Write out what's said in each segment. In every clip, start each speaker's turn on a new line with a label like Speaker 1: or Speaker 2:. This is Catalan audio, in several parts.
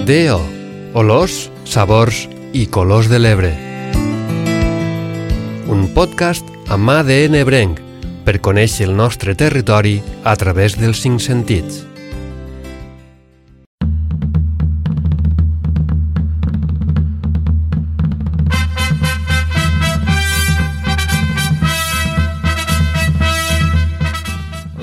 Speaker 1: DO, olors, sabors i colors de l'Ebre. Un podcast amb ADN ebrenc per conèixer el nostre territori a través dels 5 sentits.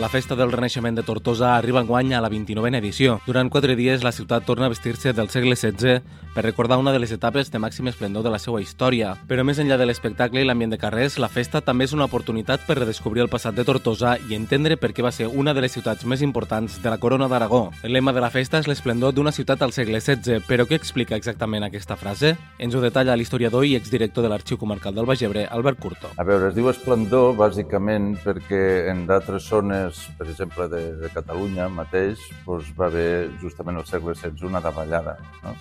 Speaker 2: La festa del Renaixement de Tortosa arriba enguany a la 29a edició. Durant 4 dies, la ciutat torna a vestir-se del segle XVI per recordar una de les etapes de màxim esplendor de la seva història. Però més enllà de l'espectacle i l'ambient de carrers, la festa també és una oportunitat per redescobrir el passat de Tortosa i entendre per què va ser una de les ciutats més importants de la Corona d'Aragó. El lema de la festa és l'esplendor d'una ciutat al segle XVI, però què explica exactament aquesta frase? Ens ho detalla l'historiador i exdirector de l'Arxiu Comarcal del Baix Ebre, Albert Curto.
Speaker 3: A veure, es diu esplendor bàsicament perquè en d'altres zones, per exemple de Catalunya mateix, doncs va haver justament al segle XVI una davallada. No?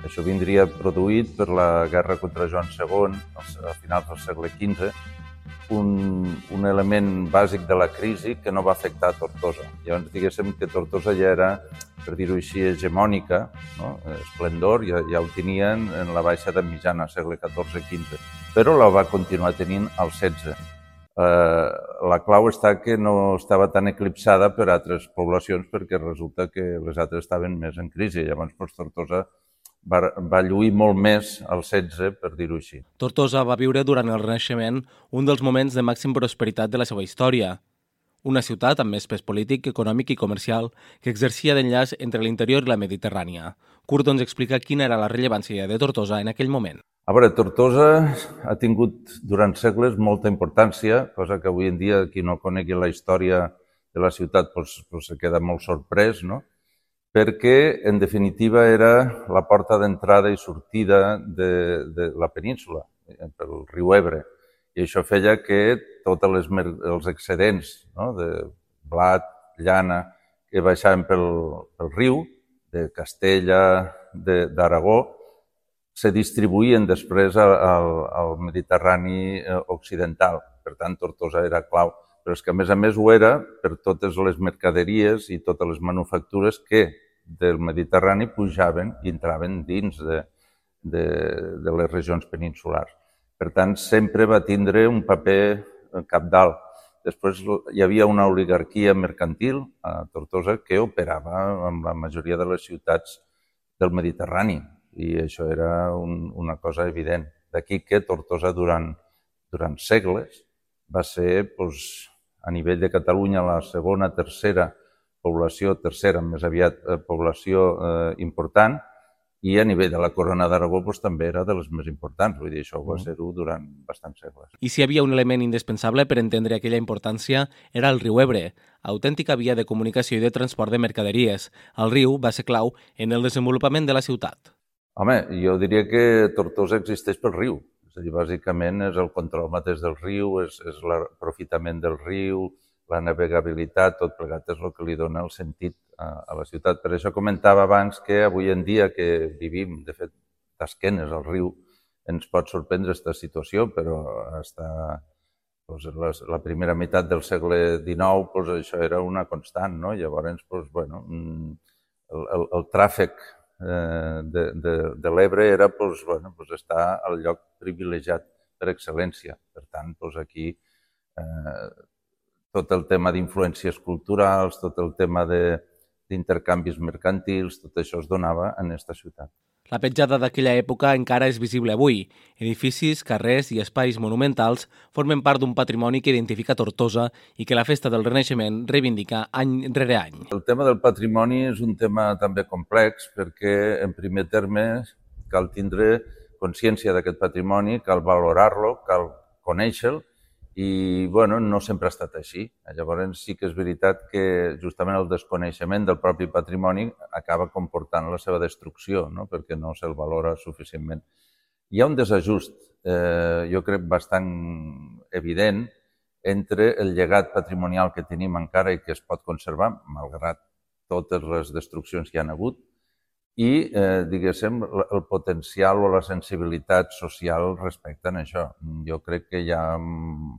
Speaker 3: Això vindria produït per la guerra contra Joan II, a finals del segle XV, un element bàsic de la crisi que no va afectar Tortosa. Llavors, diguéssim que Tortosa ja era, per dir-ho així, hegemònica, no? Esplendor, ja ho tenien en la baixa edat mitjana, segle XIV-XV, però la va continuar tenint al XVI. La clau està que no estava tan eclipsada per altres poblacions perquè resulta que les altres estaven més en crisi. Llavors, Tortosa va lluir molt més al XVI, per dir-ho així.
Speaker 2: Tortosa va viure durant el Renaixement un dels moments de màxima prosperitat de la seva història. Una ciutat amb més pes polític, econòmic i comercial que exercia d'enllaç entre l'interior i la Mediterrània. Curto ens explica quina era la rellevància de Tortosa en aquell moment.
Speaker 3: A veure, Tortosa ha tingut durant segles molta importància, cosa que avui en dia qui no conegui la història de la ciutat se queda molt sorprès, no? Perquè, en definitiva, era la porta d'entrada i sortida de la península, pel riu Ebre. I això feia que tots els excedents, no? De blat, llana, que baixaven pel riu, de Castella, d'Aragó, se distribuïen després al Mediterrani occidental. Per tant, Tortosa era clau. Però és que, a més ho era per totes les mercaderies i totes les manufactures que del Mediterrani pujaven i entraven dins de les regions peninsulars. Per tant, sempre va tindre un paper cabdal. Després hi havia una oligarquia mercantil a Tortosa que operava amb la majoria de les ciutats del Mediterrani i això era una cosa evident. D'aquí que Tortosa durant segles va ser, a nivell de Catalunya, la segona, tercera més aviat població important, i a nivell de la Corona d'Aragó també era de les més importants. Vull dir, això va ser-ho durant bastants segles.
Speaker 2: I si hi havia un element indispensable per entendre aquella importància, era el riu Ebre, autèntica via de comunicació i de transport de mercaderies. El riu va ser clau en el desenvolupament de la ciutat.
Speaker 3: Home, jo diria que Tortosa existeix pel riu. És a dir, bàsicament és el control mateix del riu, és l'aprofitament del riu, la navegabilitat, tot plegat és el que li dona el sentit a la ciutat. Per això comentava abans que avui en dia que vivim, de fet, d'esquenes al riu, ens pot sorprendre aquesta situació, però la primera meitat del segle XIX això era una constant, no? Llavors, el tràfic de l'Ebre era estar al lloc privilegiat per excel·lència. Per tant, aquí tot el tema d'influències culturals, tot el tema d'intercanvis mercantils, tot això es donava en aquesta ciutat.
Speaker 2: La petjada d'aquella època encara és visible avui. Edificis, carrers i espais monumentals formen part d'un patrimoni que identifica Tortosa i que la festa del Renaixement reivindica any rere any.
Speaker 3: El tema del patrimoni és un tema també complex perquè, en primer terme, cal tindre consciència d'aquest patrimoni, cal valorar-lo, cal conèixer-lo, i no sempre ha estat així. Llavors sí que és veritat que justament el desconeixement del propi patrimoni acaba comportant la seva destrucció, no? Perquè no se'l valora suficientment. Hi ha un desajust, jo crec, bastant evident entre el llegat patrimonial que tenim encara i que es pot conservar, malgrat totes les destruccions que hi ha hagut, i, diguéssim, el potencial o la sensibilitat social respecte a això. Jo crec que hi ha un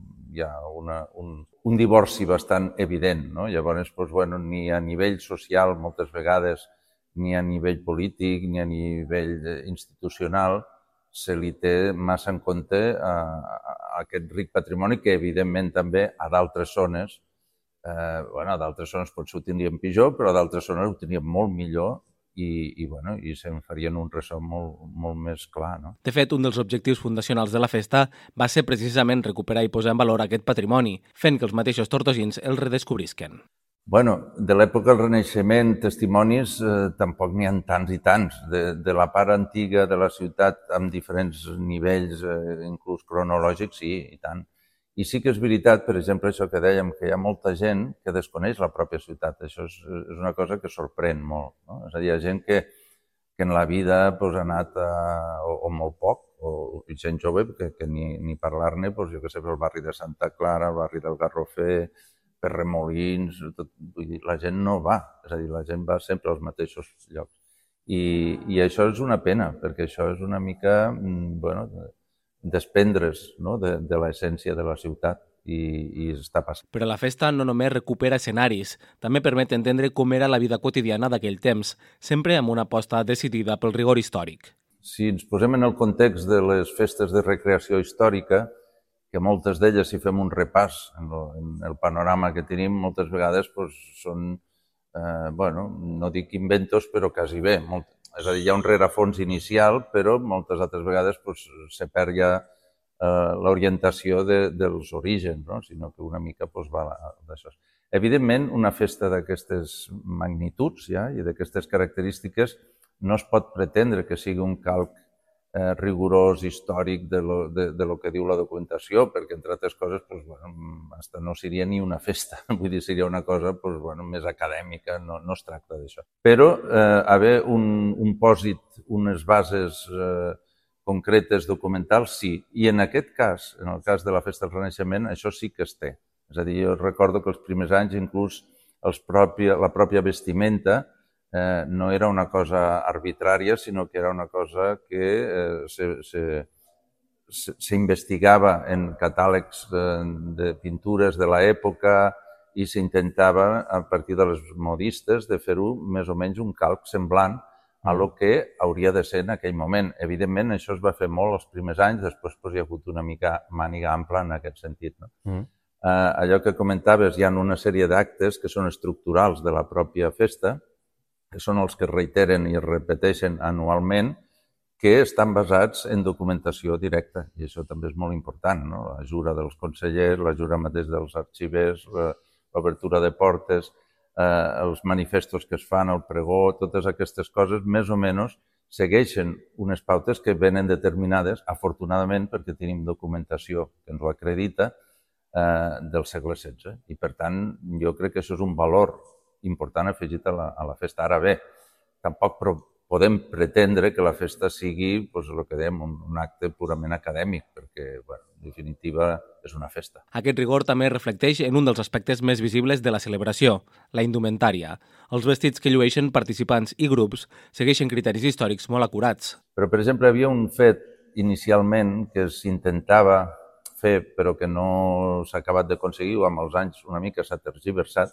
Speaker 3: divorci bastant evident, no? Llavors, ni a nivell social moltes vegades ni a nivell polític ni a nivell institucional se li té massa en compte a aquest ric patrimoni que, evidentment, també a d'altres zones, a d'altres zones potser ho tindríem pitjor, però a d'altres zones ho tindríem molt millor i se'n farien un ressò molt més clar. No?
Speaker 2: De fet, un dels objectius fundacionals de la festa va ser precisament recuperar i posar en valor aquest patrimoni, fent que els mateixos tortosins el redescobrisquen.
Speaker 3: De l'època del Renaixement, testimonis tampoc n'hi ha tants i tants. De la part antiga de la ciutat, amb diferents nivells, inclús cronològics, sí, i tant. I sí que és veritat, per exemple, això que dèiem, que hi ha molta gent que desconeix la pròpia ciutat. Això és una cosa que sorprèn molt. No? És a dir, hi ha gent que en la vida ha anat, o molt poc, o gent jove, que ni parlar-ne, jo què sé, pel barri de Santa Clara, el barri del Garrofer, per Remolins, vull dir, la gent no va. És a dir, la gent va sempre als mateixos llocs. I això és una pena, perquè això és una mica, desprendre's de l'essència de la ciutat i està passant.
Speaker 2: Però la festa no només recupera escenaris, també permet entendre com era la vida quotidiana d'aquell temps, sempre amb una aposta decidida pel rigor històric.
Speaker 3: Si ens posem en el context de les festes de recreació històrica, que moltes d'elles, si fem un repàs en el panorama que tenim, moltes vegades són, no dic inventos, però quasi bé. És a dir, hi ha un rerefons inicial, però moltes altres vegades se perd ja l'orientació dels orígens, sinó que una mica va d'això. Evidentment, una festa d'aquestes magnituds i d'aquestes característiques no es pot pretendre que sigui un calc rigorós, històric de lo que diu la documentació, perquè, entre altres coses, hasta no seria ni una festa. Vull dir, seria una cosa més acadèmica, no es tracta d'això. Però haver un pòsit, unes bases concretes, documentals, sí. I en aquest cas, en el cas de la Festa del Renaixement, això sí que es té. És a dir, jo recordo que els primers anys, inclús la pròpia vestimenta, no era una cosa arbitrària, sinó que era una cosa que s'investigava en catàlegs de pintures de l'època i s'intentava, a partir de les modistes, de fer-ho més o menys un calc semblant a lo que hauria de ser en aquell moment. Evidentment, això es va fer molt els primers anys, després hi ha hagut una mica màniga ampla en aquest sentit. Allò que comentaves, hi ha una sèrie d'actes que són estructurals de la pròpia festa, que són els que es reiteren i es repeteixen anualment, que estan basats en documentació directa. I això també és molt important, no? La jura dels consellers, la jura mateix dels arxivers, l'obertura de portes, els manifestos que es fan, el pregó, totes aquestes coses, més o menys segueixen unes pautes que venen determinades, afortunadament, perquè tenim documentació que ens ho acredita, del segle XVI. I, per tant, jo crec que això és un valor important afegit a la festa. Ara bé, tampoc podem pretendre que la festa sigui, el que dèiem, un acte purament acadèmic, perquè, en definitiva, és una festa.
Speaker 2: Aquest rigor també reflecteix en un dels aspectes més visibles de la celebració, la indumentària. Els vestits que llueixen participants i grups segueixen criteris històrics molt acurats.
Speaker 3: Però, per exemple, hi havia un fet inicialment que s'intentava fer, però que no s'ha acabat d'aconseguir, o amb els anys una mica s'ha tergiversat,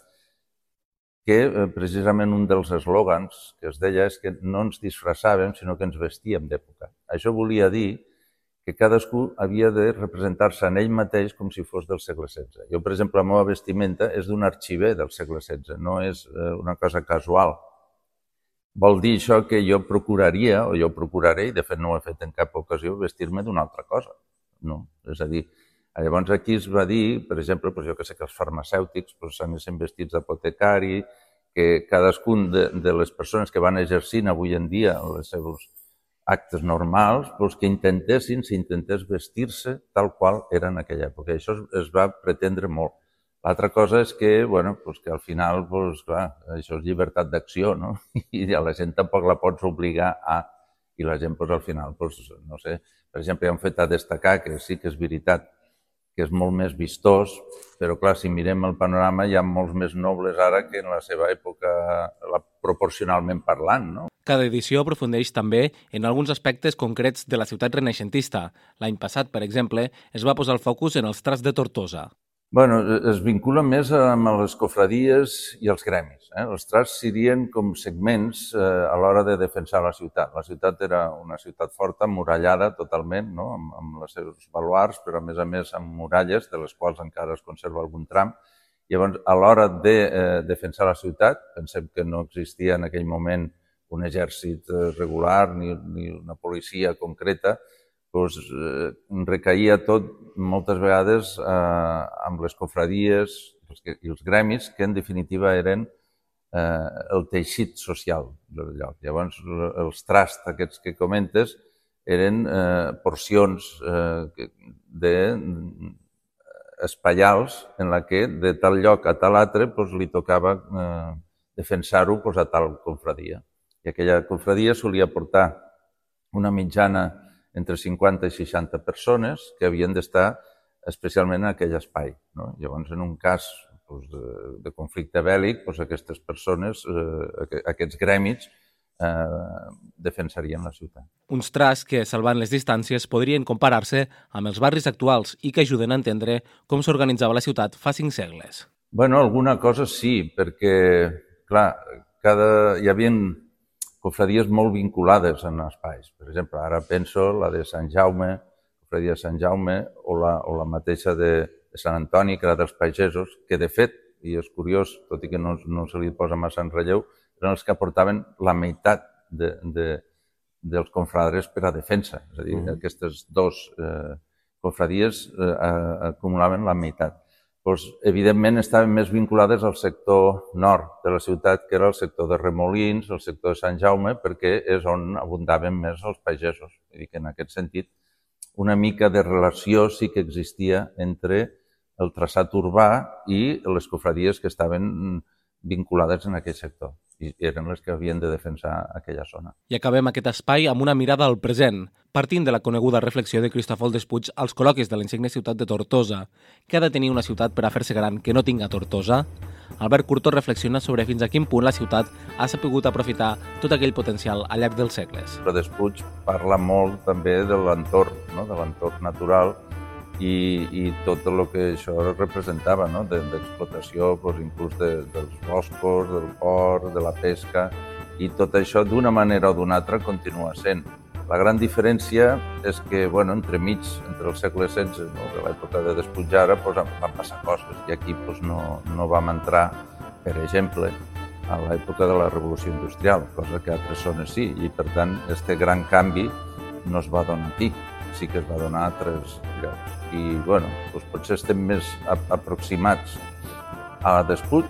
Speaker 3: que precisament un dels eslògans que es deia és que no ens disfressàvem, sinó que ens vestíem d'època. Això volia dir que cadascú havia de representar-se en ell mateix com si fos del segle XVI. Jo, per exemple, la meva vestimenta és d'un arxiver del segle XVI, no és una cosa casual. Vol dir això que jo procuraria, o jo procuraré, i de fet no ho he fet en cap ocasió, vestir-me d'una altra cosa. No, és a dir, llavors aquí es va dir, per exemple, jo que sé que els farmacèutics s'anessin vestits d'apotecari, que cadascun de les persones que van exercint avui en dia els seus actes normals, que s'intentés vestir-se tal qual era en aquella època. Això es va pretendre molt. L'altra cosa és que al final, clar, això és llibertat d'acció, no? I a la gent tampoc la pots obligar a... I la gent, al final, no sé, per exemple, hi ha un fet a destacar que sí que és veritat, que és molt més vistós, però clar, si mirem el panorama hi ha molts més nobles ara que en la seva època, proporcionalment parlant, no?
Speaker 2: Cada edició aprofundeix també en alguns aspectes concrets de la ciutat renaixentista. L'any passat, per exemple, es va posar el focus en els trats de Tortosa.
Speaker 3: Es vincula més amb les cofradies i els gremis. Els trasts serien com segments a l'hora de defensar la ciutat. La ciutat era una ciutat forta, murallada totalment, no? Amb els seus baluards, però a més amb muralles, de les quals encara es conserva algun tram. Llavors, a l'hora de defensar la ciutat, pensem que no existia en aquell moment un exèrcit regular ni una policia concreta, recaïa tot moltes vegades amb les cofradies i els gremis, que en definitiva eren el teixit social del lloc. Llavors, els trasts aquests que comentes eren porcions espaials en la que de tal lloc a tal altre li tocava defensar-ho a tal confradia. I aquella confradia solia portar una mitjana entre 50 i 60 persones que havien d'estar especialment en aquell espai. Llavors, en un cas de conflicte bèl·lic, aquestes persones, aquests gremis, defensarien la ciutat.
Speaker 2: Uns trasts que, salvant les distàncies, podrien comparar-se amb els barris actuals i que ajuden a entendre com s'organitzava la ciutat fa 5 segles.
Speaker 3: Alguna cosa sí, perquè, clar, hi havia cofradies molt vinculades en espais. Per exemple, ara penso la de Sant Jaume, cofradia de Sant Jaume, o la mateixa de Sant Antoni, que era dels pagesos, que de fet, i és curiós, tot i que no se li posa massa en relleu, eren els que aportaven la meitat dels confradres per a defensa. És a dir, aquestes dues cofradies acumulaven la meitat. Evidentment estaven més vinculades al sector nord de la ciutat, que era el sector de Remolins, el sector de Sant Jaume, perquè és on abundaven més els pagesos. Vull dir que en aquest sentit una mica de relació sí que existia entre el traçat urbà i les cofradies que estaven vinculades en aquell sector i eren les que havien de defensar aquella zona.
Speaker 2: I acabem aquest espai amb una mirada al present, partint de la coneguda reflexió de Cristòfol Despuig als col·loquis de la insigne ciutat de Tortosa. Què ha de tenir una ciutat per a fer-se gran que no tinga Tortosa? Albert Curto reflexiona sobre fins a quin punt la ciutat ha sapigut aprofitar tot aquell potencial al llarg dels segles.
Speaker 3: Però Despuig parla molt també de l'entorn, de l'entorn natural i tot el que això representava, d'explotació, inclús dels boscos, del port, de la pesca, i tot això d'una manera o d'una altra continua sent. La gran diferència és que, entremig, entre el segle XVI, de l'època de Despuig ara, van passar coses, i aquí no vam entrar, per exemple, a l'època de la Revolució Industrial, cosa que a altres zones sí, i per tant, aquest gran canvi no es va donar aquí, sí que es va donar a altres llocs. I, potser estem més aproximats a Despuig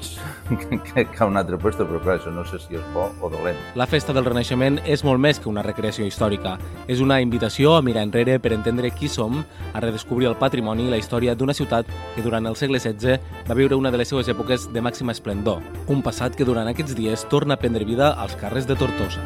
Speaker 3: que a un altre lloc, però clar, això no sé si és bo o dolent.
Speaker 2: La Festa del Renaixement és molt més que una recreació històrica. És una invitació a mirar enrere per entendre qui som, a redescobrir el patrimoni i la història d'una ciutat que durant el segle XVI va viure una de les seues èpoques de màxima esplendor. Un passat que durant aquests dies torna a prendre vida als carrers de Tortosa.